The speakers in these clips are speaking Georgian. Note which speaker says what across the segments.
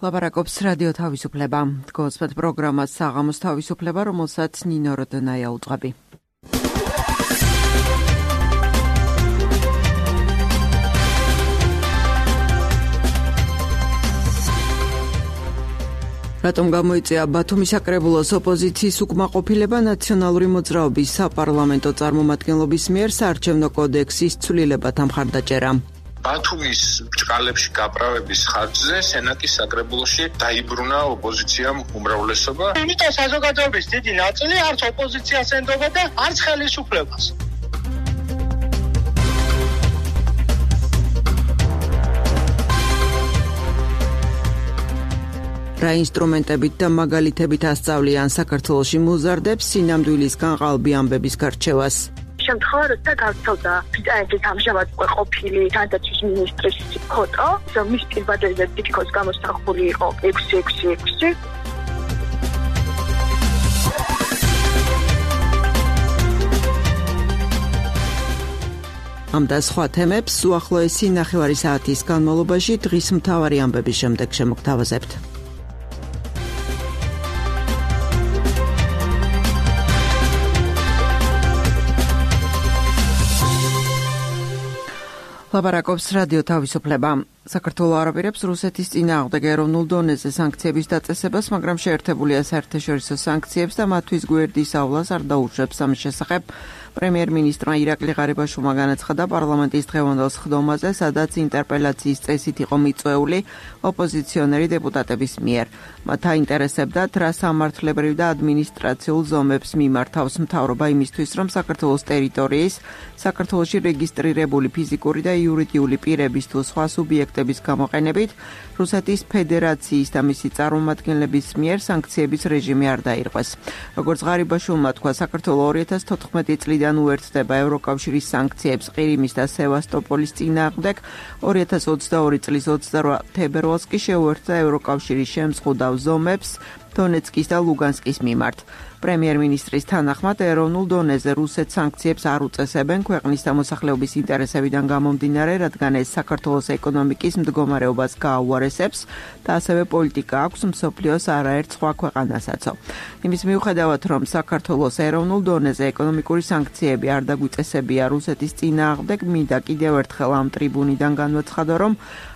Speaker 1: ლაპარაკობს რადიო თავისუფლება. გოსპეთ პროგრამას საღამოს თავისუფლება, რომელსაც ნინო როდონაია უძღვები. რატომ გამოიწვია ბათუმის საკრებულოს ოპოზიციის უკმაყოფილება ნაციონალური მოძრაობის საპარლამენტო წარმომადგენლობის მიერ საარჩევნო კოდექსის ცვლილებათა მხარდაჭერა.
Speaker 2: ბათუმის ბრჭყალებში გაправების ხარჯზე სენატის საკრებულოში დაიბრუნა ოპოზიციამ უმრავლესობა.
Speaker 3: იმიტომ საზოგადოების დიდი ნაწილი არც ოპოზიციას ენდობა და არც ხელისუფლებას.
Speaker 1: რა ინსტრუმენტებით და მაგალითებით ასწავლიან საქართველოში მოზარდებს სინამდვილისგან ყალბი ამბების გარჩევას.
Speaker 4: შემთხვევა, როცა გავრცელდა ბრიტანეთის ამჟამად ყოფილი განათლების მინისტრის ფოტო, მის პირბადაზე თითქოს გამოსახული იყო 666.
Speaker 1: ამ და სხვა თემებს უახლოესი ნახევარი საათის განმავლობაში დღის მთავარი ამბების შემდეგ შემოგთავაზებთ. ლაპარაკობს რადიო თავისუფლება. საქართველო არაპირებს რუსეთის წინააღმდეგ ეროვნულ დონეზე სანქციების დაწესებას, მაგრამ შეერთებულია საერთაშორისო სანქციებს და მათთვის გვერდისავლას არ დაუშვებს. ამის შესახებ პრემიერ-მინისტრმა ირაკლი ღარიბაშვილმა განაცხადა პარლამენტის დღევანდელ სხდომაზე, სადაც ინტერპელაციის წესით იყო მიწვეული ოპოზიციონერი დეპუტატების მიერ. მათ აინტერესებდათ, რა სამართლებრივ და ადმინისტრაციულ ზომებს მიმართავს მთავრობა იმისთვის, რომ საქართველოს ტერიტორიის საქართველოში რეგისტრირებული ფიზიკური და იურიდიული პირების თუ სხვა სუბიექტების გამოყენებით რუსეთის ფედერაციის და მისი წარმომადგენლების მიერ სანქციების რეჟიმი არ დაირღვეს. როგორც ღარიბაშვილმა თქვა, საქართველო 2014 წლიდან უერთდება ევროკავშირის სანქციებს ყირიმის და სევასტოპოლის წინააღმდეგ, 2022 წლის 28 თებერვალს კი შეუერთდა ევროკავშირის შემზღუდავ ზომებს დონეცკის და ლუგანსკის მიმართ. პრემიერ-მინისტრის თანახმად ეროვნულ დონეზე რუსეთს სანქციებს არ უწესებენ ქვეყნის მოსახლეობის ინტერესებიდან გამომდინარე, რადგან ეს საქართველოს ეკონომიკის მდგომარეობას გააუარესებს და ასევე პოლიტიკა აქვს მსოფლიოს არაერთ სხვა ქვეყანასაც. იმის მიუხედავად, რომ საქართველოს ეროვნულ დონეზე ეკონომიკური სანქციები არ დაგვიწესებია რუსეთის წინააღმდეგ, მინდა კიდევ ერთხელ ამ ტრიბუნიდან განვაცხადო, რომ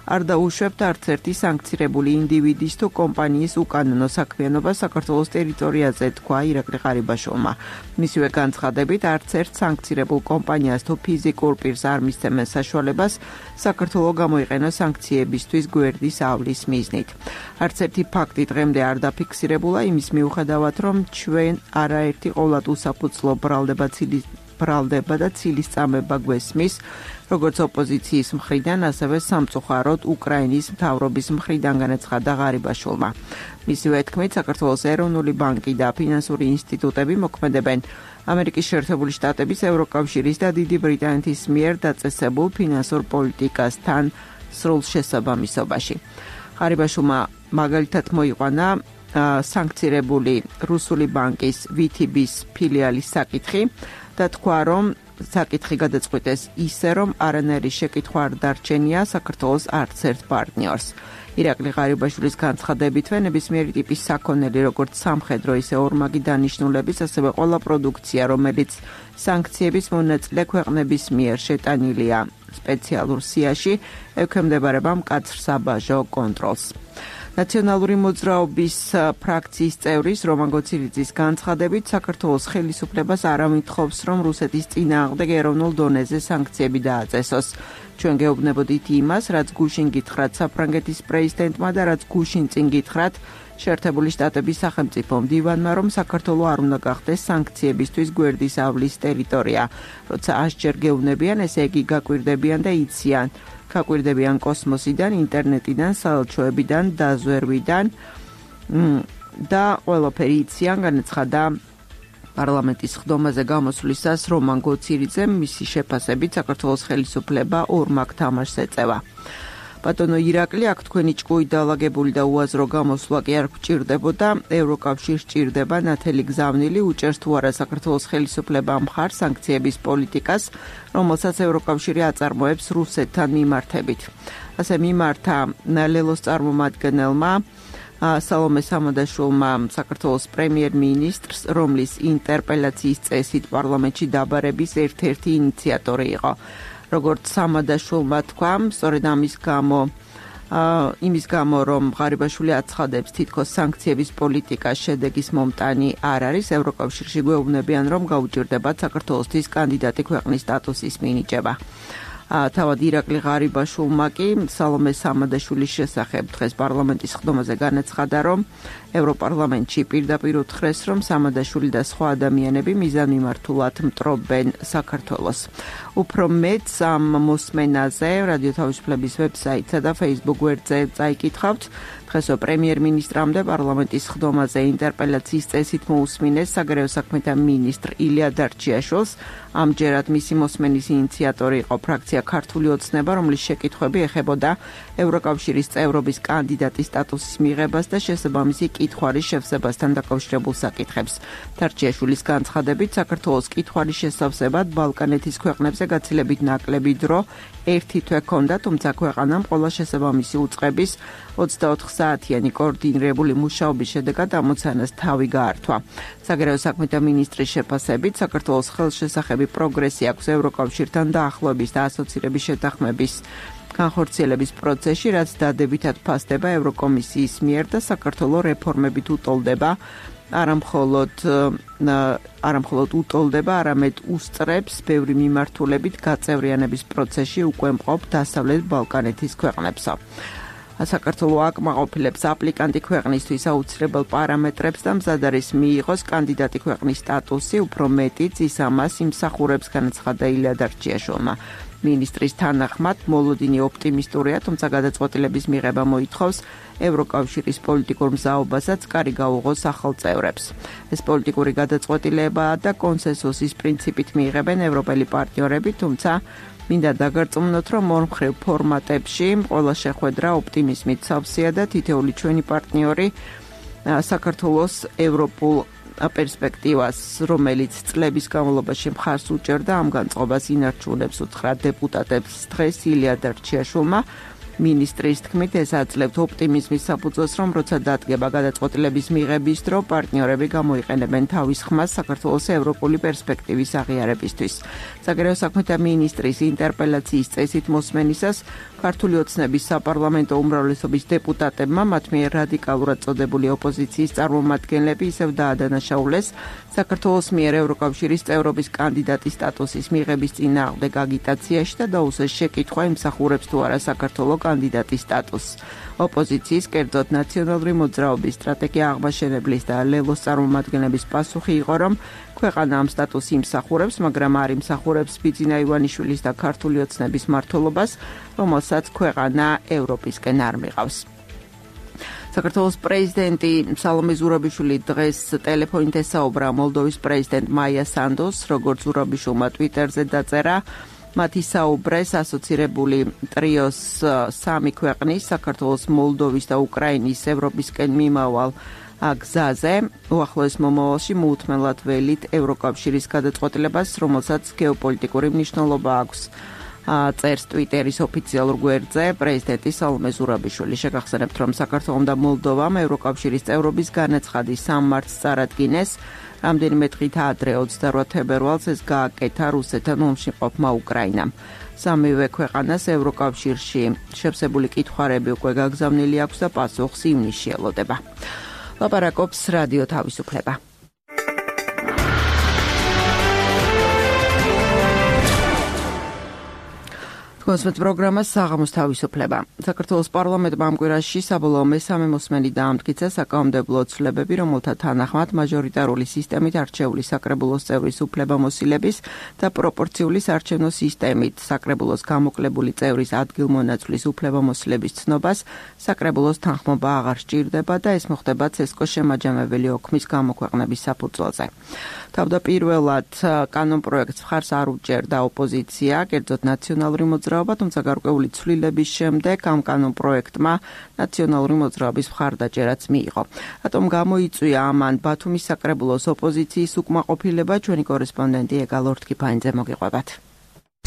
Speaker 1: არ დაუშვებთ არც ერთი სანქცირებული ინდივიდის თუ კომპანიის უკანონო საქმიანობა საქართველოს ტერიტორიაზე, თქვა ირაკლი ღარიბაშვილმა. მისივე განცხადებით, არც ერთ სანქცირებულ კომპანიას თუ ფიზიკურ პირს არ მისცემენ საშუალებას საქართველო გამოიყენოს სანქციებისთვის გვერდის ავლის მიზნით. არც ერთი ფაქტი დღემდე არ დაფიქსირებულა იმის მიუხედავად, რომ ჩვენ არაერთი ყოვლად უსაფუძლო ბრალდება და ცილის წამება გვესმის, როგორც ოპოზიციის მხრიდან, ასევე სამწუხაროდ უკრაინის მთავრობის მხრიდან, განაცხადა ღარიბაშვილმა. მისივე თქმით, საქართველოს ეროვნული ბანკი და ფინანსური ინსტიტუტები მოქმედებენ ამერიკის შეერთებული შტატების, ევროკავშირის და დიდი ბრიტანეთის მიერ დაწესებულ ფინანსურ პოლიტიკასთან სრულ შესაბამისობაში. ღარიბაშვილმა მაგალითად მოიყვანა სანქცირებული რუსული ბანკის VTB-ის ფილიალის საკითხი და თქვა, რომ საკითხი გადაწყვიტეს ისე, რომ არანაირი შეკითხვა არ დარჩენია საქართველოს არც ერთ პარტნიორს. ირაკლი ღარიბაშვილის განცხადებითვე ნებისმიერი ტიპის საქონელი, როგორც სამხედრო, ისე ორმაგი დანიშნულების, ასევე ყველა პროდუქცია, რომელიც სანქციების მონაწილე ქვეყნების მიერ შეტანილია სპეციალურ სიაში, ექვემდებარება მკაცრ საბაჟო კონტროლს. ნაციონალური მოძრაობის ფრაქციის წევრის რომან გოცირიძის განცხადებით, საქართველოს ხელისუფლებას არ ამითხოვს, რომ რუსეთის წინააღმდეგ ეროვნულ დონეზე სანქციები დააწესოს. ჩვენ გეუბნებოდით იმას, რაც გუშინ გითხრათ საფრანგეთის პრეზიდენტმა და რაც გუშინ წინ გითხრათ შეერთებული შტატების სახელმწიფო მდივანმა, რომ საქართველო არ უნდა გახდეს სანქციებისთვის გვერდის ავლის ტერიტორია. როცა 100-ჯერ გეუბნებიან, ესე იგი გაკვირდებიან და იციან. გაკვირდებიან კოსმოსიდან, ინტერნეტიდან, საელჩოებიდან, დაზვერვიდან და ყველაფერი იციან, განაცხადა პარლამენტის სხდომაზე გამოსვლისას რომან გოცირიძემ, მისი შეფასებით საქართველოს ხელისუფლება ორმაგ თამაშს ეწევა. ბატონო ირაკლი, აქ თქვენი ჭკუით დაალაგებული და უაზრო გამოსვლა კი არ გვჭირდებოდა. ევროკავშირს ჭირდება ნათელი გზავნილი, უჭერს თუ არა საქართველოს ხელისუფლებამ მხარს სანქციების პოლიტიკას, რომელსაც ევროკავშირი აწარმოებს რუსეთთან მიმართებით. ასე მიმართა ლელოს წარმომადგენელმა სალომე სამადაშვილმა საქართველოს პრემიერ-მინისტრს, რომლის ინტერპელაციის წესით პარლამენტში დაბარების ერთ-ერთი ინიციატორი იყო. როგორც სამადაშვილმა თქვა, სწორედ იმის გამო, რომ ღარიბაშვილი აცხადებს, თითქოს სანქციების პოლიტიკას შედეგის მომტანი არ არის, ევროკავშირში გვეუბნებიან, რომ გაუჭირდებათ საქართველოსთვის კანდიდატი ქვეყნის სტატუსის მინიჭება. თავად ირაკლი ღარიბაშვილმა კი სალომე სამადაშვილის შესახებ დღეს პარლამენტის ხდომაზე განაცხადა, რომ ევროპარლამენტში პირდაპირ უთხრეს, რომ სამადაშვილი და სხვა ადამიანები მიზანმიმართულად მტრობენ საქართველოს. უფრო მეტს ამ მოსმენაზე რადიო თავისუფლების ვებსაიტსა და Facebook გვერდზე წაიკითხავთ. დღესო პრემიერ-მინისტრამდე პარლამენტის ხდომაზე ინტერპელაციის წესით მოусმინეს საგარეო საქმეთა მინისტრ ილია დარჩიაშვილს. ამჯერად მისი მოსმენის ინიციატორი იყო ფრაქცია ქართული ოცნება, რომლის შეკითხვები ეხებოდა ევროკავშირის წევრობის კანდიდატის სტატუსის მიღებას და შესაბამისი კითხვარის შევსებასთან დაკავშირებულ საკითხებს. დარჩიაშვილის განცხადებით, საქართველოს კითხვარის შესავსებად ბალკანეთის ქვეყნებზე გაცილებით ნაკლები დრო ერთი თვე ჰქონდა, თუმცა ქვეყანამ ყველა შესაბამისი უწყების 24 საათიანი კოორდინირებული მუშაობის შედეგად ამოცანას თავი გაართვა. საგარეო საქმეთა მინისტრის შეფასებით, საქართველოს ხელშესახები პროგრესი აქვს ევროკავშირთან დაახლოების და ასოცირების შეთანხმების განხორციელების პროცესში, რაც დადებითად ფასდება ევროკომისიის მიერ და საქართველოს რეფორმებით უტოლდება, არამხოლოდ უტოლდება, არამედ უსწრებს ბევრი მიმართულებით გაწევრიანების პროცესში უკვე მყოფ დასავლეთ ბალკანეთის ქვეყნებსა. საქართველოს აკმაყოფილებს აპლიკანტი ქვეყნისთვის აუცილებელ პარამეტრებს და მზად არის მიიღოს კანდიდატი ქვეყნის სტატუსი, უფრო მეტიც ის ამას იმსახურებს, განაცხადა ილია დარჩიაშვილმა. მინისტრის თანახმად მოლოდინი ოპტიმისტურია, თუმცა გადაწყვეტილების მიღება მოითხოვს ევროკავშირის პოლიტიკურ მზაობასაც კარი გაუღოს ახალ წევრებს. ეს პოლიტიკური გადაწყვეტილებაა და კონსენსუსის პრინციპით მიიღებენ ევროპელი პარტნიორები, თუმცა მინდა დაგარწმუნოთ, რომ ორმხრივ ფორმატებში ყველა შეხვედრა ოპტიმიზმით სავსეა და თითოეული ჩვენი პარტნიორი საქართველოს ევროპულ პერსპექტივას, რომელიც წლების განმავლობაში მხარს უჭერდა, ამ განწყობას ინარჩუნებს, უთხრა დეპუტატებს დღეს ილია დარჩიაშვილმა. მინისტრის თქმით, ეს აძლევთ ოპტიმიზმის საფუძველს, რომ როცა დადგება გადაწყვეტილების მიღების დრო, პარტნიორები გამოიყენებენ თავის ხმას საქართველოს ევროპული პერსპექტივის აღიარებისთვის. საგარეო საქმეთა მინისტრის ინტერპელაციის წესით მოსმენისას ქართული ოცნების საპარლამენტო უმრავლესობის დეპუტატებმა მათ მიერ რადიკალურად წოდებული ოპოზიციის წარმომადგენლები ისევ დაადანაშაულეს საქართველოს მიერ ევროკავშირის წევრობის კანდიდატის სტატუსის მიღების წინააღმდეგ აგიტაციაში და დაუსვეს შეკითხვა იმსახურებს თუ არა საქართველოს კანდიდატის სტატუსს. ოპოზიციის, კერძოდ ნაციონალური მოძრაობის სტრატეგია აღმაშენებლის და ლელოს წარმომადგენლების პასუხი იყო, რომ ქვეყანა ამ სტატუსს იმსახურებს, მაგრამ არ იმსახურებს ბიძინა ივანიშვილის და ქართული ოცნების მმართველობას, რომელსაც ქვეყანა ევროპისკენ არ მიყავს. საქართველოს პრეზიდენტი სალომე ზურაბიშვილი დღეს ტელეფონით ესაუბრა მოლდოვის პრეზიდენტ მაია სანდოს, როგორც ზურაბიშვილმა ტვიტერზე დაწერა. მათი საუბრეს ასოცირებული ტრიოს სამი ქვეყნის, საქართველოს, მოლდოვის და უკრაინის ევროპისკენ მიმავალ გზაზე, უახლოეს მომავალში მოუთმენლად ველით ევროკავშირის გადაწყვეტილებას, რომელსაც გეოპოლიტიკური მნიშვნელობა აქვს. წერს ტვიტერის ოფიციალურ გვერდზე პრეზიდენტი სალომე ზურაბიშვილი. შეგახსენებთ, რომ საქართველომ და მოლდოვამ ევროკავშირის წევრობის განაცხადის 3 მარტს წარადგინეს. რამდენიმე დღით ადრე 28 თებერვალს ეს გააკეთა რუსეთთან ომში მყოფმა უკრაინამ. სამივე ქვეყანას ევროკავშირში შევსებული კითხვარები უკვე გაგზავნილი აქვს და პასუხს ივნისში ელოდება. ლაპარაკობს რადიო თავისუფლება. კონსვეთ პროგრამა საღამოს თავისუფლება. საქართველოს პარლამენტმა ამ კვირაში საბოლოო მესამე მოსმენი დაამტკიცა საკანონმდებლო ცვლილებები, რომელთა თანახმად მაჟორიტარული სისტემით არჩეული საკრებულოს წევრის უფლებამოსილების და პროპორციული საარჩევნო სისტემით საკრებულოს გამოკლებული წევრის ადგილმონაცვლის უფლებამოსილების ცნობას საკრებულოს თანხმობა აღარ სჭირდება და ეს მოხდება ცესკოს შემაჯამებელი ოქმის გამოქვეყნების საფუძველზე. თავდაპირველად კანონპროექტს მხარს არ უჭერდა ოპოზიცია, კერძოდ ნაციონალური მოძრაობა მოძრაობა, თუმცა გარკვეული ცვლილების შემდეგ ამ კანონ პროექტმა ნაციონალური მოძრაობის მხარდაჭერაც მიიღო. რატომ გამოიწვია ამან ბათუმის საკრებულოს ოპოზიციის უკმაყოფილება, ჩვენი კორესპონდენტი ეგა ლორთქიფანიძე მოგიყვებათ.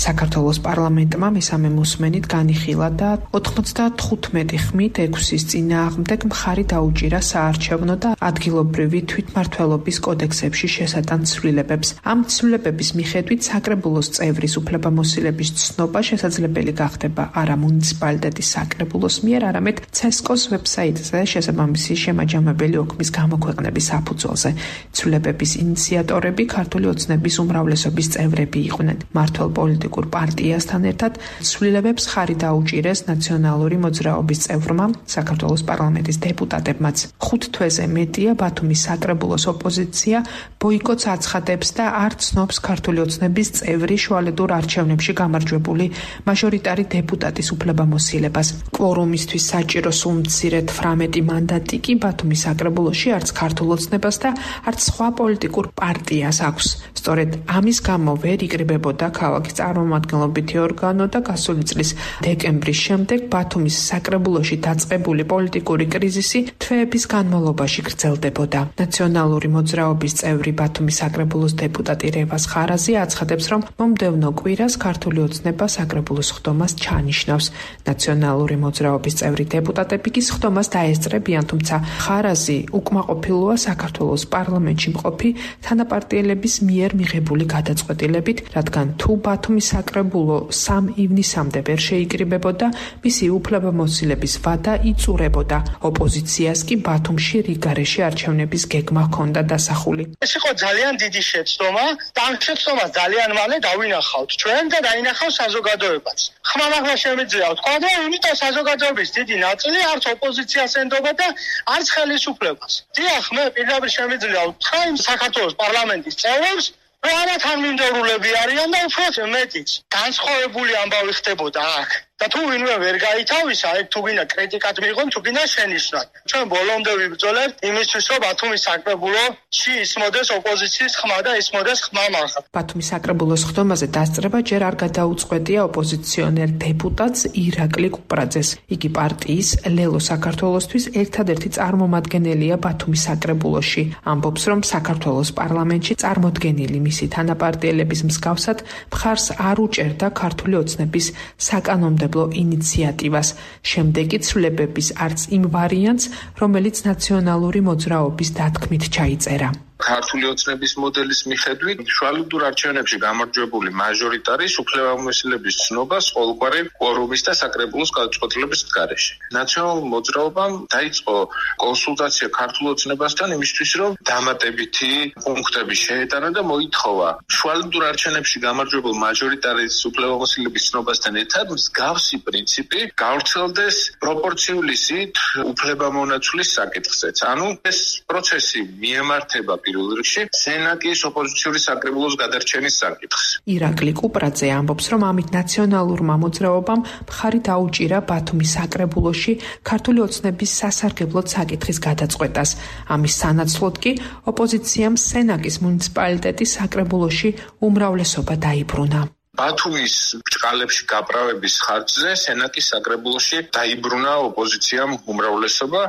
Speaker 5: საქართველოს პარლამენტმა მესამე მოსმენით განიხილა და 95 ხმით 6-ის წინააღმდეგ მხარი დაუჭირა საარჩევნო და ადგილობრივი თვითმმართველობის კოდექსებში შესატან ცვლილებებს. ამ ცვლილებების მიხედვით საკრებულოს წევრის უფლებამოსილების ცნობა შესაძლებელი გახდება არა მუნიციპალიტეტის საკრებულოს მიერ, არამედ CESCO-ს ვებსაიტზე შესაბამისი შემაჯამებელი ოქმის გამოქვეყნების საფუძველზე. ცვლილებების ინიციატორები ქართული ოცნების უმრავლესობის წევრები იყვნენ. მმართველ პოლიტიკურ პარტიასთან ერთად ცვლილებებს ხარი დაუჭირეს ნაციონალური მოძრაობის წევრმა, საქართველოს პარლამენტის დეპუტატებმაც. 5 თვეზე მეტია ბათუმის საკრებულოს ოპოზიცია ბოიკოტს აცხადებს და არ ცნობს ქართული ოცნების წევრი შუალედურ არჩევნებში გამარჯვებული მაჟორიტარი დეპუტატის უფლებამოსილებას. კვორუმისთვის საჭირო სულ მცირედ 18 მანდატი კი ბათუმის საკრებულოში არც ქართულ ოცნებას და არც სხვა პოლიტიკურ პარტიას აქვს. სწორედ ამის გამო ვერ იკრიბებოდა ქალაქის წარმომადგენლობითი ორგანო და გასული წლის დეკემბრის შემდეგ ბათუმის საკრებულოში დაწყებული პოლიტიკური კრიზისი თვეების განმავლობაში გრძელდებოდა. ნაციონალური მოძრაობის წევრი ბათუმის საკრებულოს დეპუტატი რევაზ ხარაზი აცხადებს, რომ მომდევნო კვირას ქართული ოცნება საკრებულოს ხდომას ჩაანიშნავს. ნაციონალური მოძრაობის წევრი დეპუტატები კი ხდომას დაესწრებიან, თუმცა ხარაზი უკმაყოფილოა საქართველოს პარლამენტში მყოფი თანაპარტიელების მიერ მიღებული გადაწყვეტილებით, რადგან თუ ბათუმის საკრებულო 3 ივნისამდე ვერ შეიკრიბებოდა, მისი უფლებამოსილების ვადა იწურებოდა. ოპოზიციას კი ბათუმში რიგარეში არჩევნების გეგმა ჰქონდა დასახული.
Speaker 3: ეს იყო ძალიან დიდი შეცდომა და ამ შეცდომას ძალიან მალე დავინახავთ ჩვენ და დაინახავს საზოგადოებაც. ხმამაღლა შემიძლია ვთქვა და იმიტომ საზოგადოების დიდი ნაწილი არც ოპოზიციას ენდობა და არც ხელისუფლებას. დიახ, მე პირდაპირ შემიძლია ვთქვა იმ საქართველოს პარლამენტის წევრებს, რომ არა თანმიმდევრულები არიან და უფრო მეტიც განსხვავებული ამბავი ხდებოდა აქ. და თუ ვინმე ვერ გაითავისა, ეგ თუ გინდა კრიტიკად მიიღონ, თუ გინდა შენიშვნად. ჩვენ ბოლომდე ვიბრძოლებთ იმისთვის, რომ ბათუმის საკრებულოში ისმოდეს ოპოზიციის ხმა და ისმოდეს ხმამაღლა.
Speaker 5: ბათუმის საკრებულოს ხდომაზე დასწრება ჯერ არ გადაუწყვეტია ოპოზიციონერ დეპუტატს ირაკლი კუპრაძეს. იგი პარტიის ლელო საქართველოსთვის ერთადერთი წარმომადგენელია ბათუმის საკრებულოში. ამბობს, რომ საქართველოს პარლამენტში წარმოდგენილი მისი თანაპარტიელების მსგავსად მხარს არ უჭერდა ქართული ოცნების საკანონმდებლო ინიციატივას. შემდეგი ცვლილებების არც იმ ვარიანტს, რომელიც ნაციონალური მოძრაობის დათქმით ჩაიწერა.
Speaker 2: ქართული ოცნების მოდელის მიხედვით შუალედურ არჩევნებში გამარჯვებული მაჟორიტარის უფლებამოსილების ცნობას ყოველგვარი კვორუმის და საკრებულოს გადაწყვეტილების გარეშე. ნაციონალურ მოძრაობამ დაიწყო კონსულტაცია ქართულ ოცნებასთან იმისთვის, რომ დამატებითი პუნქტები შეეტანა და მოითხოვა შუალედურ არჩევნებში გამარჯვებულ მაჟორიტარის უფლებამოსილების ცნობასთან ერთად მსგავსი პრინციპი გავრცელდეს პროპორციული სიით უფლებამონაცვლის საკითხზეც. ანუ ეს პროცესი მიემართება პირველ რიგში სენატის ოპოზიციური საკრებულოს გადარჩენის საკითხს.
Speaker 5: ირაკლი კუპრაძე ამბობს, რომ ამით ნაციონალურმა მოძრაობამ მხარი დაუჭირა ბათუმის საკრებულოში ქართული ოცნების სასარგებლოდ საკითხის გადაწყვეტას. ამის სანაცვლოდ კი ოპოზიციამ სენაკის მუნიციპალიტეტის საკრებულოში უმრავლესობა დაიბრუნა.
Speaker 2: ბათუმის ბრჭყალებში გაправების ხარჯზე სენაკის საკრებულოში დაიბრუნა ოპოზიციამ უმრავლესობა,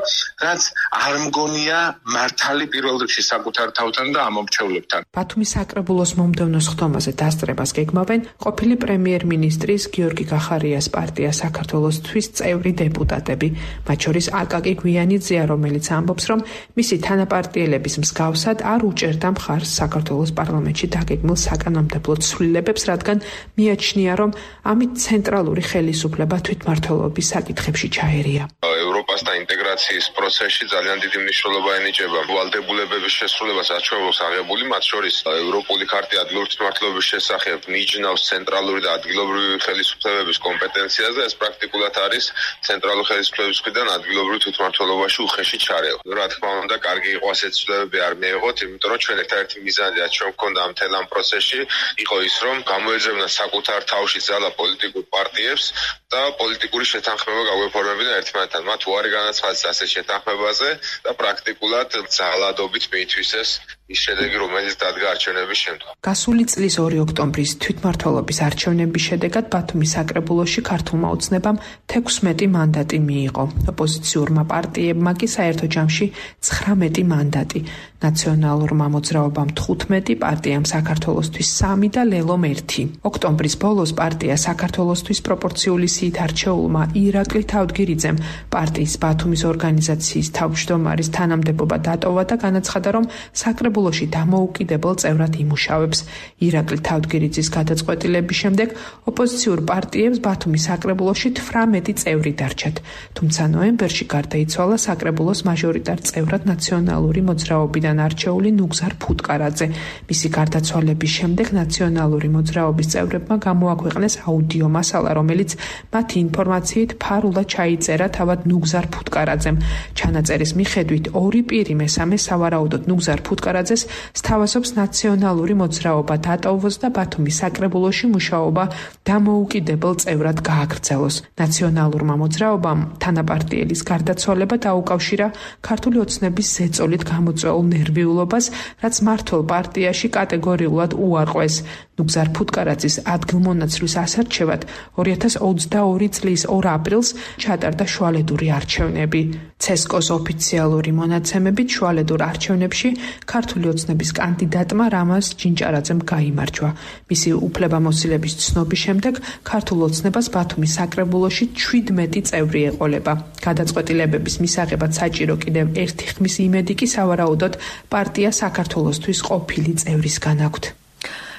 Speaker 2: რაც არ მგონია მართალი პირველ რიგში საკუთარ თავთან და ამომრჩევლებთან.
Speaker 5: ბათუმის საკრებულოს მომდევნო ხდომაზე დასწრებას გეგმავენ ყოფილი პრემიერ-მინისტრის გიორგი გახარიას პარტია საქართველოსთვის წევრი დეპუტატები, მათ შორის აკაკი გვიანიძეა, რომელიც ამბობს, რომ მისი თანაპარტიელების მსგავსად არ უჭერდა მხარს საქართველოს პარლამენტში დაგეგმილ საკანონმდებლო ცვლილებებს, რადგან მიაჩნია, რომ ამით ცენტრალური ხელისუფლება თვითმმართველობის საკითხებში ჩაერია.
Speaker 6: ევროპასთან ინტეგრაციის პროცესში ძალიან დიდი მნიშვნელობა ენიჭება ვალდებულებების შესრულებას, რაც ჩვენს აღებული, მათ შორის ევროპული ქარტია ადგილობრივი თვითმმართველობის შესახებ ნიშნავს ცენტრალური და ადგილობრივი ხელისუფლებების კომპეტენციაზე, ეს პრაქტიკულად არის ცენტრალური ხელისუფლების მხრიდან ადგილობრივ თვითმმართველობაში უხეში ჩარევა. რა თქმა უნდა, კარგი იყო ასეთი ცვლილებები არ მიეღოთ, იმიტომ რომ ჩვენ ერთ-ერთი მიზანი, რაც ჩვენ გვქონდა ამ მთელ ამ პროცესში, იყო ის, რომ გამოეძებნა საკუთარ თავში ძალა პოლიტიკურ პარტიებს და პოლიტიკური შეთანხმება გაგვეფორმებინა ერთმანეთთან. მათ უარი განაცხადეს ასეთ შეთანხმებაზე და პრაქტიკულად ძალადობით მიითვისეს ის შედეგი, რომელიც დადგა არჩევნების შემდგომ.
Speaker 5: გასული წლის 2 ოქტომბრის თვითმმართველობის არჩევნების შედეგად ბათუმის საკრებულოში ქართულმა ოცნებამ 16 მანდატი მიიღო. ოპოზიციურმა პარტიებმა კი საერთო ჯამში 19 მანდატი. ნაციონალურმა მოძრაობამ 15, პარტიამ საქართველოსთვის 3 და ლელომ 1. ოქტომბრის ბოლოს პარტია საქართველოსთვის პროპორციული სიით არჩეულმა ირაკლი თავდგირიძემ პარტიის ბათუმის ორგანიზაციის თავმჯდომარის თანამდებობა დატოვა და განაცხადა, რომ საკრებულოში დამოუკიდებელ წევრად იმუშავებს. ირაკლი თავდგირიძის გადაწყვეტილების შემდეგ ოპოზიციურ პარტიებს ბათუმის საკრებულოში 18 წევრი დარჩათ. თუმცა ნოემბერში გარდაიცვალა საკრებულოს მაჟორიტარ წევრად ნაციონალური მოძრაობიდან არჩეული ნუგზარ ფუტკარაძე. მისი გარდაცვალების შემდეგ ნაციონალური მოძრაობის წევრებმა გამოაქვეყნეს აუდიო მასალა, რომელიც მათი ინფორმაციით ფარულად ჩაიწერა თავად ნუგზარ ფუტკარაძემ. ჩანაწერის მიხედვით ორი პირი მესამე სავარაუდოდ ნუგზარ ფუტკარაძეს სთავაზობს ნაციონალური მოძრაობა დატოვოს და ბათუმის საკრებულოში მუშაობა დამოუკიდებელ წევრად გააგრძელოს. ნაციონალურმა მოძრაობამ თანაპარტიელის გარდაცვალება დაუკავშირა ქართული ოცნების ზეწოლით გამოწვეულ ნერვიულობას, რაც მმართველ პარტიაში კატეგორიულად უარყვეს. ნუგზარ ფუტკარაძის ადგილმონაცვლის ასარჩევად 2022 წლის 2 აპრილს ჩატარდა შუალედური არჩევნები. ცესკოს ოფიციალური მონაცემებით შუალედურ არჩევნებში ქართული ოცნების კანდიდატმა რამაზ ჯინჭარაძემ გაიმარჯვა. მისი უფლებამოსილების ცნობის შემდეგ ქართულ ოცნებას ბათუმის საკრებულოში 17 წევრი ეყოლება. გადაწყვეტილებების მისაღებად საჭირო კიდევ ერთი ხმის იმედი კი სავარაუდოდ პარტია საქართველოსთვის ყოფილი წევრისგან აქვთ.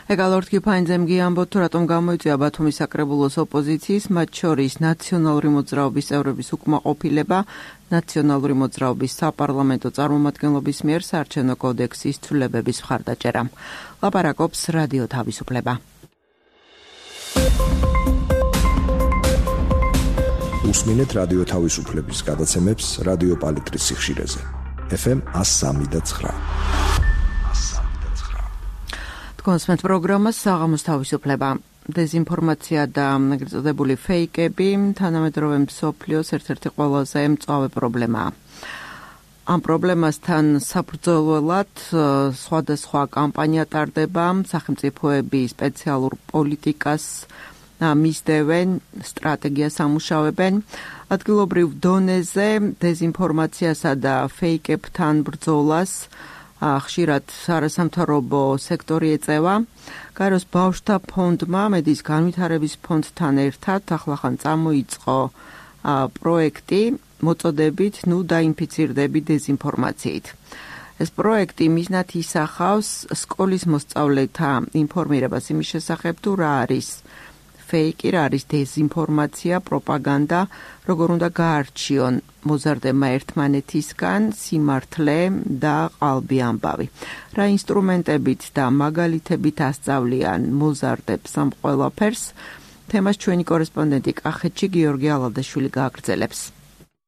Speaker 1: ეგალორთ კიფაინძემ გიამბოთ, თუ რატომ გამოიწვია ბათუმის საკრებულოს ოპოზიციის, მათ შორის ნაციონალური მოძრაობის წევრების უკმაყოფილება, ნაციონალური მოძრაობის საპარლამენტო წარმომადგენლობის მიერ საარჩევნო კოდექსის ცვლილებების მხარდაჭერა. ლაპარაკობს რადიო თავისუფლება.
Speaker 7: უსმინეთ რადიო თავისუფლების გადაცემებს რადიო პალიტრის სიხშირეზე. FM 103.9.
Speaker 1: კონსმეთ პროგრამას საღამოს თავისუფლება. დეზინფორმაცია და ეგრეთ წოდებული ფეიკები თანამედროვე მსოფლიოს ერთ-ერთი ყველაზე მწვავე პრობლემაა. ამ პრობლემასთან საბრძოლველად სხვადასხვა კამპანია ტარდება, სახელმწიფოები სპეციალურ პოლიტიკას მისდევენ, სტრატეგიას ამუშავებენ. ადგილობრივ დონეზე დეზინფორმაციასა და ფეიკებთან ბრძოლას ხშირად არასამთავრობო სექტორი ეწევა. გაეროს ბავშვთა ფონდმა მედიის განვითარების ფონდთან ერთად ახლახან წამოიწყო პროექტი მოწოდებით ნუ დაინფიცირდები დეზინფორმაციით. ეს პროექტი მიზნად ისახავს სკოლის მოსწავლეთა ინფორმირებას იმის შესახებ, თუ რა არის ფეიკი, რა არის დეზინფორმაცია, პროპაგანდა, როგორ უნდა გაარჩიონ მოზარდება ერთმანეთისგან სიმართლე და ყალბი ამბავი. რა ინსტრუმენტებით და მაგალითებით ასწავლიან მოზარდებს ამ ყველაფერს, თემას ჩვენი კორესპონდენტი კახეთში გიორგი ალადაშვილი გააგრძელებს.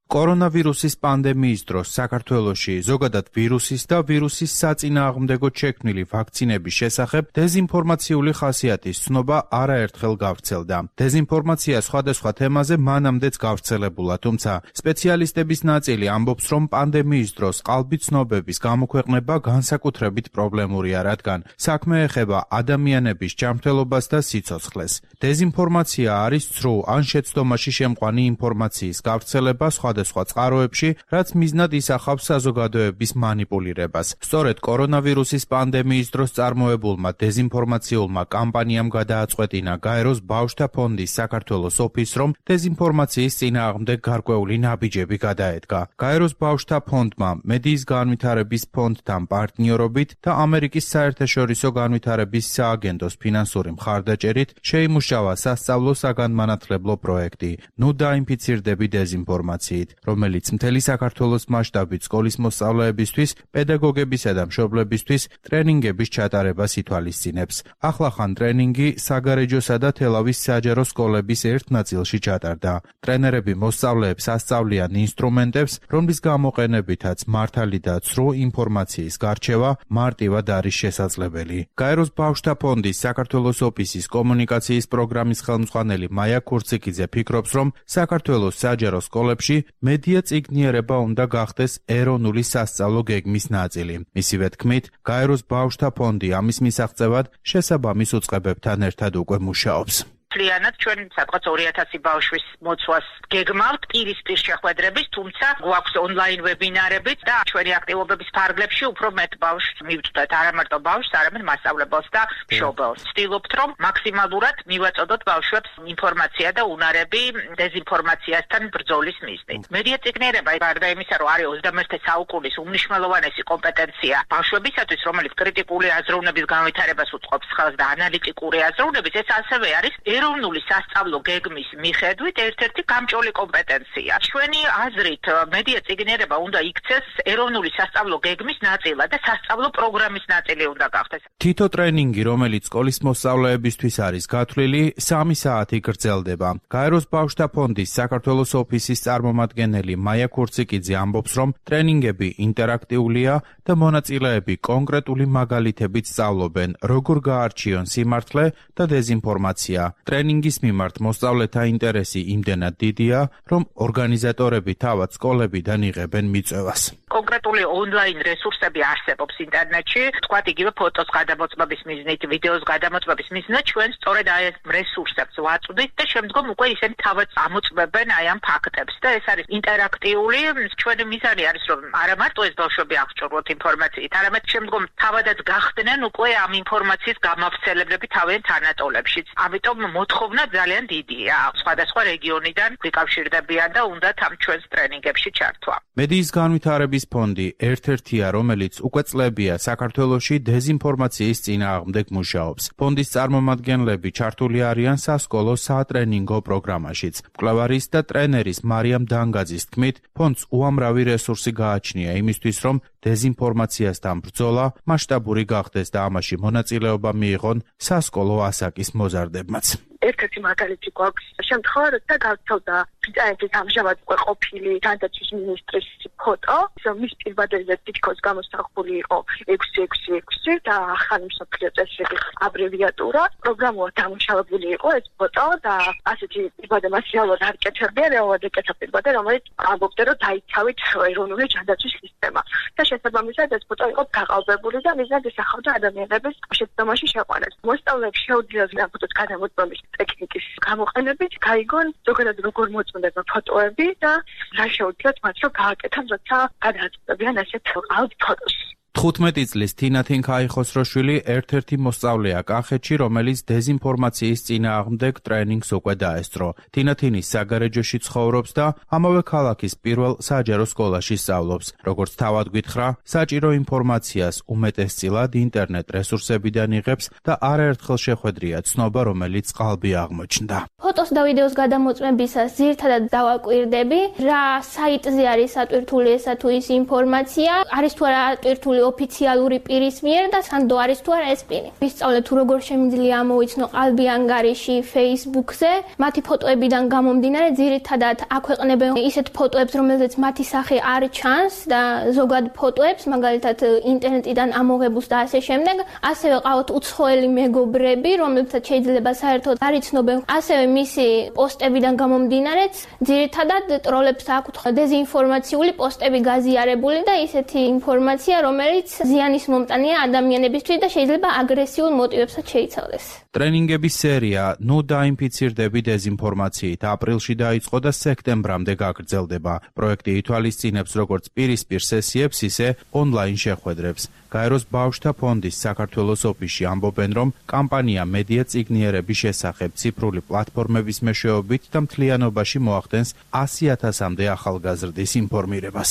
Speaker 8: კორონავირუსის პანდემიის დროს საქართველოში ზოგადად ვირუსის და ვირუსის საწინააღმდეგო შექმნილი ვაქცინების შესახებ დეზინფორმაციული ხასიათის ცნობა არაერთხელ გავრცელდა. დეზინფორმაცია სხვადასხვა თემაზე მანამდეც გავრცელებულა, თუმცა სპეციალისტების ნაწილი ამბობს, რომ პანდემიის დროს ყალბი ცნობების გამოქვეყნება განსაკუთრებით პრობლემურია, რადგან საქმე ეხება ადამიანების ჯანმრთელობას და სიცოცხლეს. დეზინფორმაცია არის ცრუ ან შეცდომაში შემყვანი ინფორმაციის გავრცელება სხვადასხვა წყაროებში, რაც მიზნად ისახავს საზოგადოების მანიპულირებას. სწორედ კორონავირუსის პანდემიის დროს წარმოებულმა დეზინფორმაციულმა კამპანიამ გადააწყვეტინა გაეროს ბავშვთა ფონდის საქართველოს ოფისს, რომ დეზინფორმაციის წინააღმდეგ გარკვეული ნაბიჯები გადაედგა. გაეროს ბავშვთა ფონდმა მედიის განვითარების ფონდთან პარტნიორობით და ამერიკის საერთაშორისო განვითარების სააგენტოს ფინანსური მხარდაჭერით შეიმუშავა სასწავლო საგანმანათლებლო პროექტი ნუ დაინფიცირდები დეზინფორმაციით, რომელიც მთელი საქართველოს მასშტაბით სკოლის მოსწავლეებისთვის, პედაგოგებისა და მშობლებისთვის ტრენინგების ჩატარებას ითვალისწინებს. ახლახან ტრენინგი საგარეჯოსა და თელავის საჯარო სკოლების ერთ ნაწილში ჩატარდა. ტრენერები მოსწავლეებს ასწავლიან ინსტრუმენტებს, რომლის გამოყენებითაც მართალი და ცრუ ინფორმაციის გარჩევა მარტივად არის შესაძლებელი. გაეროს ბავშვთა ფონდის საქართველოს ოფისის კომუნიკაციის პროგრამის ხელმძღვანელი მაია ქურციკიძე ფიქრობს, რომ საქართველოს საჯარო სკოლებში მედია წიგნიერება უნდა გახდეს ეროვნული სასწავლო გეგმის ნაწილი. მისივე თქმით, გაეროს ბავშვთა ფონდი ამის მისაღწევად შესაბამის უწყებებთან ერთად უკვე მუშაობს.
Speaker 9: მთლიანად ჩვენ სადღაც 2000 ბავშვის მოცვას გეგმავთ პირისპირ შეხვედრების, თუმცა გვაქვს ონლაინ ვებინარებიც და ჩვენი აქტივობების ფარგლებში უფრო მეტ ბავშვს მივწვდეთ, არა მარტო ბავშვს, არამედ მასწავლებელს და მშობელს. ვცდილობთ, რომ მაქსიმალურად მივაწოდოთ ბავშვებს ინფორმაცია და უნარები დეზინფორმაციასთან ბრძოლის მიზნით. მედია წიგნიერება გარდა იმისა, რომ არის 21 საუკუნის უმნიშვნელოვანესი კომპეტენცია ბავშვებისათვის, რომელიც კრიტიკული აზროვნების განვითარებას უწყობს ხელს და ანალიტიკური აზროვნების, ეს ასევე არის ეროვნული სასწავლო გეგმის მიხედვით ერთ-ერთი გამჭოლი კომპეტენცია. ჩვენი აზრით, მედია წიგნიერება უნდა იქცეს ეროვნული სასწავლო გეგმის ნაწილად და სასწავლო პროგრამის ნაწილი უნდა გახდეს.
Speaker 8: თითო ტრენინგი, რომელიც სკოლის მოსწავლეებისთვის არის გათვლილი, 3 საათი გრძელდება. გაეროს ბავშვთა ფონდის საქართველოს ოფისის წარმომადგენელი მაია ქურციკიძე ამბობს, რომ ტრენინგები ინტერაქტიულია და მონაწილეები კონკრეტული მაგალითებით სწავლობენ, როგორ გაარჩიონ სიმართლე და დეზინფორმაცია. ტრენინგის მიმართ მოსწავლეთა ინტერესი იმდენად დიდია, რომ ორგანიზატორები თავად სკოლებიდან იღებენ მიწვევას.
Speaker 9: კონკრეტული ონლაინ რესურსები არსებობს ინტერნეტში, თქვათ იგივე ფოტოს გადამოწმების მიზნით, ვიდეოს გადამოწმების მიზნით, ჩვენ სწორედ აი ეს რესურსებს ვაწვდით და შემდგომ უკვე ისინი თავად ამოწმებენ აი ამ ფაქტებს და ეს არის ინტერაქტიული. ჩვენი მიზანი არის, რომ არა მარტო ეს ბავშვები აღჭურვოთ ინფორმაციით, არამედ შემდგომ თავადაც გახდნენ უკვე ამ ინფორმაციის გამავრცელებლები თავიანთ თანატოლებშიც. ამიტომ მოთხოვნა ძალიან დიდია. სხვადასხვა რეგიონიდან გვიკავშირდებიან და უნდათ ამ ჩვენს ტრენინგებში ჩართვა.
Speaker 8: მედიის განვითარების ფონდი ერთ-ერთია, რომელიც უკვე წლებია საქართველოში დეზინფორმაციის წინააღმდეგ მუშაობს. ფონდის წარმომადგენლები ჩართული არიან სასკოლო სატრენინგო პროგრამაშიც. მკვლევარის და ტრენერის მარიამ დანგაძის თქმით, ფონდს უამრავი რესურსი გააჩნია იმისთვის, რომ დეზინფორმაციასთან ბრძოლა მასშტაბური გახდეს და ამაში მონაწილეობა მიიღონ სასკოლო ასაკის მოზარდებმაც.
Speaker 4: ერთ-ერთი მაგალითი გვაქვს შემთხვევა, როცა გავცელდა ბრიტანეთის ამჟამად უკვე ყოფილი თანდათვის მინისტრის ფოტო, მის პირბადაზე თითქოს გამოსახული იყო 666 და ახალი მსოფლიო წესრიგის აბრევიატურა. პროგრამულად დამუშავებული იყო ეს ფოტო და ასეთი პირბადე მას რეალურად არ კეთებია, რეალურად ეკეთა პირბადე, რომელიც ამბობდა, რომ დაიცავით ეროვნული ჯანდაცვის სისტემა. და შესაბამისად ეს ფოტო იყო გაყალბებული და მიზნად ისახავდა ადამიანების შეცდომაში შეყვანას. მოსწავლეებს შეუძლიათ ამ ფოტოს გადამოწმების ტექნიკის გამოყენებით გაიგონ ზოგადად როგორ მოწმდება ფოტოები და რა შეუძლიათ მათ რომ გააკეთონ, როცა გადააწყვეტებიან ასეთ ალბ ფოტოს.
Speaker 8: 15 წლის თინათინ ქაიხოსროშვილი ერთ-ერთი მოსწავლეა კახეთში, რომელიც დეზინფორმაციის წინააღმდეგ ტრენინგს უკვე დაესწრო. თინათინის საგარეჯოში ცხოვრობს და ამავე ქალაქის პირველ საჯარო სკოლაში სწავლობს. როგორც თავად გითხრა, საჭირო ინფორმაციას უმეტესწილად ინტერნეტ რესურსებიდან იღებს და არაერთხელ შეხვედრია ცნობა, რომელიც ყალბი აღმოჩნდა.
Speaker 10: ფოტოს და ვიდეოს გადამოწმებისას ძირითადად დავაკვირდები, რა საიტზე არის ატვირთული ესა თუ ის ინფორმაცია, არის თუ არა ატვირთული ოფიციალური პირის მიერ და სანდო არის თუ არა ეს პირი. ვისწავლე თუ როგორ შემიძლია ამოვიცნო ყალბი ანგარიში Facebook-ზე, მათი ფოტოებიდან გამომდინარე ძირითადად აქვეყნებენ ისეთ ფოტოებს, რომელზეც მათი სახე არ ჩანს და ზოგად ფოტოებს, მაგალითად ინტერნეტიდან ამოღებულს და ასე შემდეგ. ასევე ყავთ უცხოელი მეგობრები, რომლებსაც შეიძლება საერთოდ არ იცნობენ. ასევე მისი პოსტებიდან გამომდინარეც ძირითადად ტროლებს აქვთ დეზინფორმაციული პოსტები გაზიარებული და ისეთი ინფორმაცია, რომელიც ზიანის მომტანია ადამიანებისთვის და შეიძლება აგრესიულ მოტივებსაც შეიცავდეს.
Speaker 8: ტრენინგების სერია ნუ დაინფიცირდები დეზინფორმაციით აპრილში დაიწყო და სექტემბრამდე გაგრძელდება. პროექტი ითვალისწინებს როგორც პირისპირ სესიებს, ისე ონლაინ შეხვედრებს. გაეროს ბავშვთა ფონდის საქართველოს ოფისში ამბობენ, რომ კამპანია მედია წიგნიერების შესახებ ციფრული პლატფორმების მეშვეობით და მთლიანობაში მოახდენს 100,000-მდე ახალგაზრდის ინფორმირებას.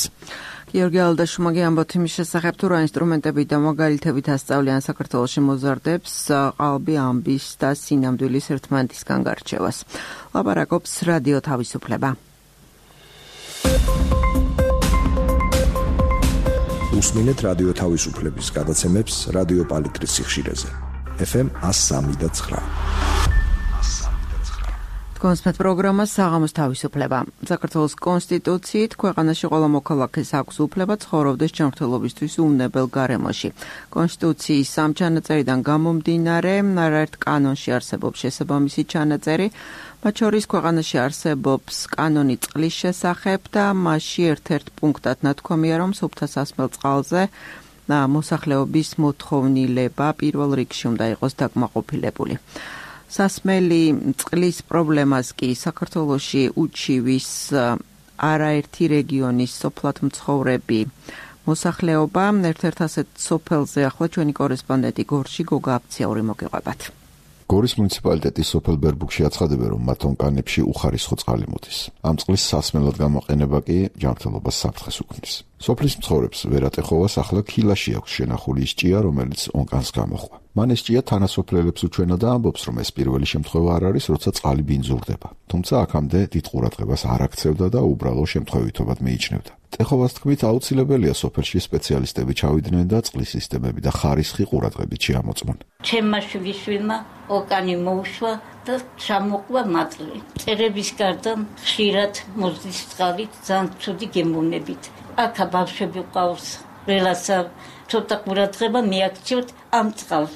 Speaker 1: გიორგი ალდაშუმაგი ამბობთ იმის შესახებ, თუ რა ინსტრუმენტები და მაგალითებით ასწავლიან საქართველოში მოზარდებს ყალბი ამბის და სინამდვილის ერთმანეთისგან გარჩევას. ლაპარაკობს რადიო თავისუფლება.
Speaker 7: უსმინეთ რადიო თავისუფლების გადაცემებს რადიო პალიტრის სიხშირეზე. FM 103.9.
Speaker 1: კონსპექტ პროგრამა საღამოს თავისუფლება. საქართველოს კონსტიტუციით ქვეყანაში ყველა მოქალაქეს აქვს უფლება ცხოვრობდეს ჯანმრთელობისთვის უვნებელ გარემოში. კონსტიტუციის სამ ჩანაწერიდან გამომდინარე, არაერთ კანონში არსებობს შესაბამისი ჩანაწერი, მათ შორის ქვეყანაში არსებობს კანონი წყლის შესახებ და მასში ერთ-ერთ პუნქტად ნათქვამია, რომ სუფთა სასმელ წყალზე მოსახლეობის მოთხოვნილება პირველ რიგში უნდა იყოს დაკმაყოფილებული. სასმელი წყლის პრობლემას კი საქართველოში უჩივის არაერთი რეგიონის სოფლად მცხოვრები მოსახლეობა. ერთ-ერთ ასეთ სოფელზე ახლა ჩვენი კორესპონდენტი გორში გოგა აფციაური მოგიყვებათ.
Speaker 11: გორის მუნიციპალიტეტის სოფელ ბერბუქში აცხადებენ, რომ მათ ონკანებში უხარისხო წყალი მოდის. ამ წყლის სასმელად გამოყენება კი ჯანმრთელობას საფრთხეს უქმნის. სოფლის მცხოვრებს ვერატეხოვას ახლა ქილაში აქვს შენახული ის ჭია, რომელიც ონკანს გამოხვა. მან ეს ჭია თანასოფლელებს უჩვენა და ამბობს, რომ ეს პირველი შემთხვევა არ არის, როცა წყალი ბინძურდება. თუმცა აქამდე დიდ ყურადღებას არ აქცევდა და უბრალო შემთხვევითობად მიიჩნევდა. ტეხოვას თქმით, აუცილებელია სოფელში სპეციალისტები ჩავიდნენ და წყლის სისტემები და ხარისხი ყურადღებით შეამოწმონ.
Speaker 12: ჩემმა შვილმა ოკანი მოუშვა და ჩამოყვა მატლი. წერების გარდა ხშირად მოძლის წყალით ძალიან ცუდი გემოვნებით. აქ ბავშვები ყავს, რელაცა ცოტა ყურადღება მიაქციოთ ამ წყალს.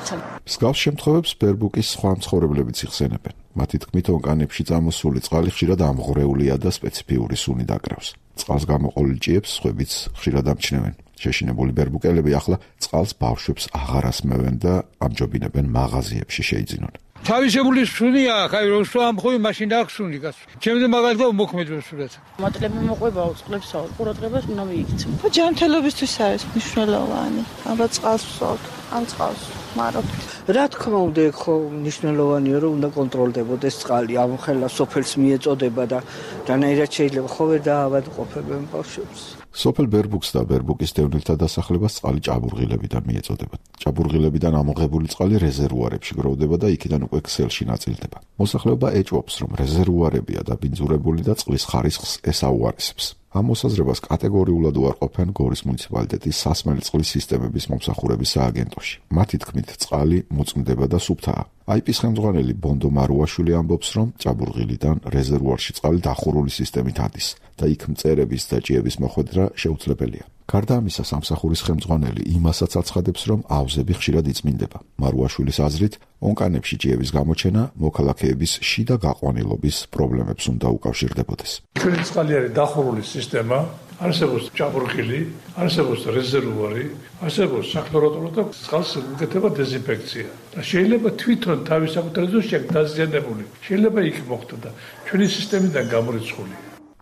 Speaker 11: მსგავს შემთხვევებს ბერბუკის სხვა მცხოვრებლებიც იხსენებენ. მათი თქმით, ონკანებში წამოსული წყალი ხშირად ამღვრეულია და სპეციფიური სუნი დაკრავს. წყალს გამოყოლილ ჭიებს სხვებიც ხშირად ამჩნევენ. შეშინებული ბერბუკელები ახლა წყალს ბავშვებს აღარ ასმევენ და ამჯობინებენ მაღაზიებში შეიძინონ.
Speaker 13: თავისებული სუნია, ხაი რომ ამხოვი მაშინ აქვს სუნი გასული. ჩემზე მაგალითად მოქმედებს სულაც.
Speaker 14: მატლები მოყვებაო წყლებს ყურადღებას უნდა მიიქცევ.
Speaker 15: ჯანმრთელობისთვის არის მნიშვნელოვანი. აბა წყალს ვსვათ, ამ წყალს მარობთ.
Speaker 16: რა თქმა უნდა, ხო მნიშვნელოვანია, რომ უნდა კონტროლდებოდეს წყალი. ამ ხელა სოფელს მიეწოდება და რანაირად შეიძლება ხო ვერ დაავადყოფებენ ბავშვებს.
Speaker 11: სოფელ ბერბუქს და ბერბუკის დევნილთა დასახლებას წყალი ჭაბურღილებიდან მიეწოდება. ჭაბურღილებიდან ამოღებული წყალი რეზერვუარებში გროვდება და იქიდან უკვე ქსელში ნაწილდება. მოსახლეობა ეჭვობს, რომ რეზერვუარებია დაბინძურებული და წყლის ხარისხს ესაუარესებს. ამ მოსაზრებას კატეგორიულად უარყოფენ გორის მუნიციპალიტეტის სასმელი წყლის სისტემების მომსახურების სააგენტოში. მათი თქმით, წყალი მოწმდება და სუფთაა. აიპის ხელმძღვანელი ბონდო მარუაშვილი ამბობს, რომ ჭაბურღილიდან რეზერვუარში წყალი დახურული სისტემით ადის და იქ მწერების და ჭიების მოხვედრა შეუძლებელია. გარდა ამისა, სამსახურის ხელმძღვანელი იმასაც აცხადებს, რომ აუზები ხშირად იწმინდება. მარუაშვილის აზრით, ონკანებში ჭიების გამოჩენა მოქალაქეების შიდა გაყვანილობის პრობლემებს უნდა უკავშირდებოდეს.
Speaker 13: ჩვენი წყალი არის დახურული სისტემა, არსებობს ჭაბურღილი, არსებობს რეზერვუარი, არსებობს საკლორატურო და წყალს უკეთება დეზინფექცია. და შეიძლება თვითონ თავის საკუთრებაზე შექმნა დაზიანებული. შეიძლება იქ მოხდა და ჩვენი სისტემიდან გამორიცხული.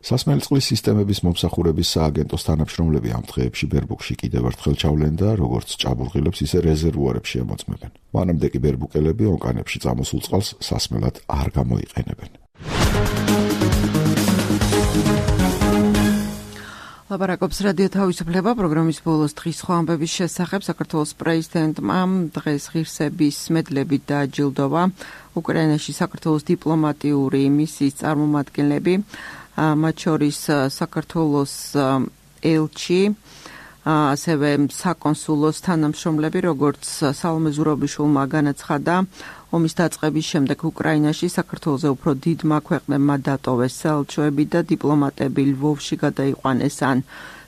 Speaker 11: სასმელი წყლის სისტემების მომსახურების სააგენტოს თანამშრომლები ამ დღეებში ბერბუქში კიდევ ერთხელ ჩავლენ და როგორც ჭაბურღილებს, ისე რეზერვუარებში ემოწმებენ. მანამდე კი ბერბუკელები ონკანებში წამოსულ წყალს სასმელად არ გამოიყენებენ.
Speaker 1: ლაპარაკობს რადიო თავისუფლება პროგრამის ბოლოს დღის სხვა ამბების შესახებ. საქართველოს პრეზიდენტმა დღეს ღირსების მედლებით დააჯილდოვა უკრაინაში საქართველოს დიპლომატიური მისიის წარმომადგენლები, მათ შორის საქართველოს ელჩი, ასევე საკონსულოს თანამშრომლები, როგორც სალომე ზურაბიშვილმა განაცხადა, ომის დაწყების შემდეგ უკრაინაში საქართველოზე უფრო დიდმა ქვეყნებმა დატოვეს საელჩოები და დიპლომატები ლვოვში გადაიყვანეს ან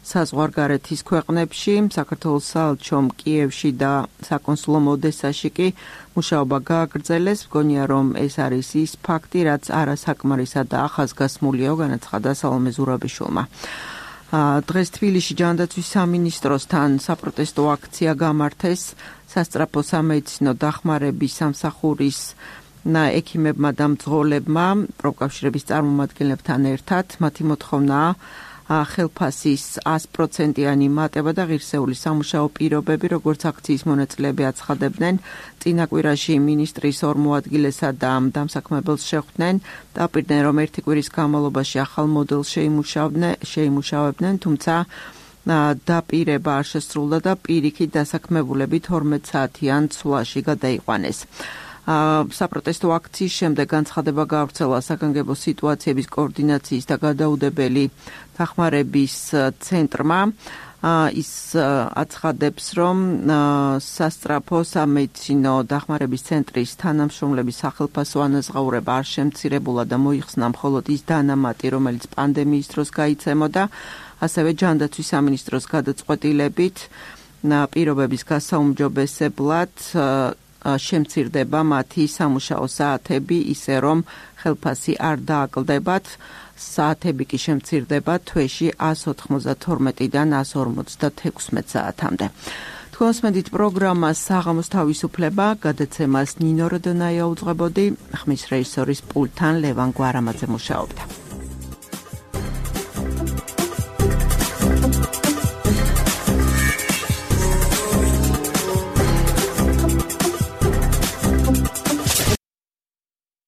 Speaker 1: საზღვარგარეთის ქვეყნებში. საქართველოს საელჩომ კიევში და საკონსულომ ოდესაში კი მუშაობა გააგრძელეს. მგონია, რომ ეს არის ის ფაქტი, რაც არასაკმარისა და ახასგასმულია, განაცხადა სალომე ზურაბიშვილმა. დღეს თბილისში ჯანდაცვის სამინისტროსთან საპროტესტო აქცია გამართეს. სასწრაფო სამედიცინო დახმარების სამსახურის ექიმებმა და მძღოლებმა პროფკავშირების წარმომადგენლებთან ერთად. მათი მოთხოვნაა ხელფასის 100%-იანი მატება და ღირსეული სამუშაო პირობები, როგორც აქციის მონაწილეები აცხადებდნენ. წინა კვირაში მინისტრის ორ მოადგილესა და დამსაქმებელს შეხვდნენ, დაპირდნენ, რომ ერთი კვირის განმავლობაში ახალ მოდელს შეიმუშავებდნენ, თუმცა დაპირება არ შესრულდა და პირიქით დასაქმებულები 12 საათიან ცვლაში გადაიყვანეს. საპროტესტო აქციის შემდეგ განცხადება გავრცელა საგანგებო სიტუაციების კოორდინაციის და გადაუდებელი დახმარების ცენტრმა. ის აცხადებს, რომ სასწრაფო სამედიცინო დახმარების ცენტრის თანამშრომლების სახელფასო ანაზღაურება არ შემცირებულა და მოიხსნა მხოლოდ ის დანამატი, რომელიც პანდემიის დროს გაიცემოდა, ასევე ჯანდაცვის სამინისტროს გადაწყვეტილებით პირობების გასაუმჯობესებლად შემცირდება მათი სამუშაო საათები, ისე რომ ხელფასი არ დააკლდებათ. საათები კი შემცირდება თვეში 192-დან 156 საათამდე. თქვენს მედით პროგრამა საღამოს თავისუფლება, გადაცემას ნინო როდონაია უძღვებოდი, ხმის რეჟისორის პულტთან ლევან გვარამაძე მუშაობდა.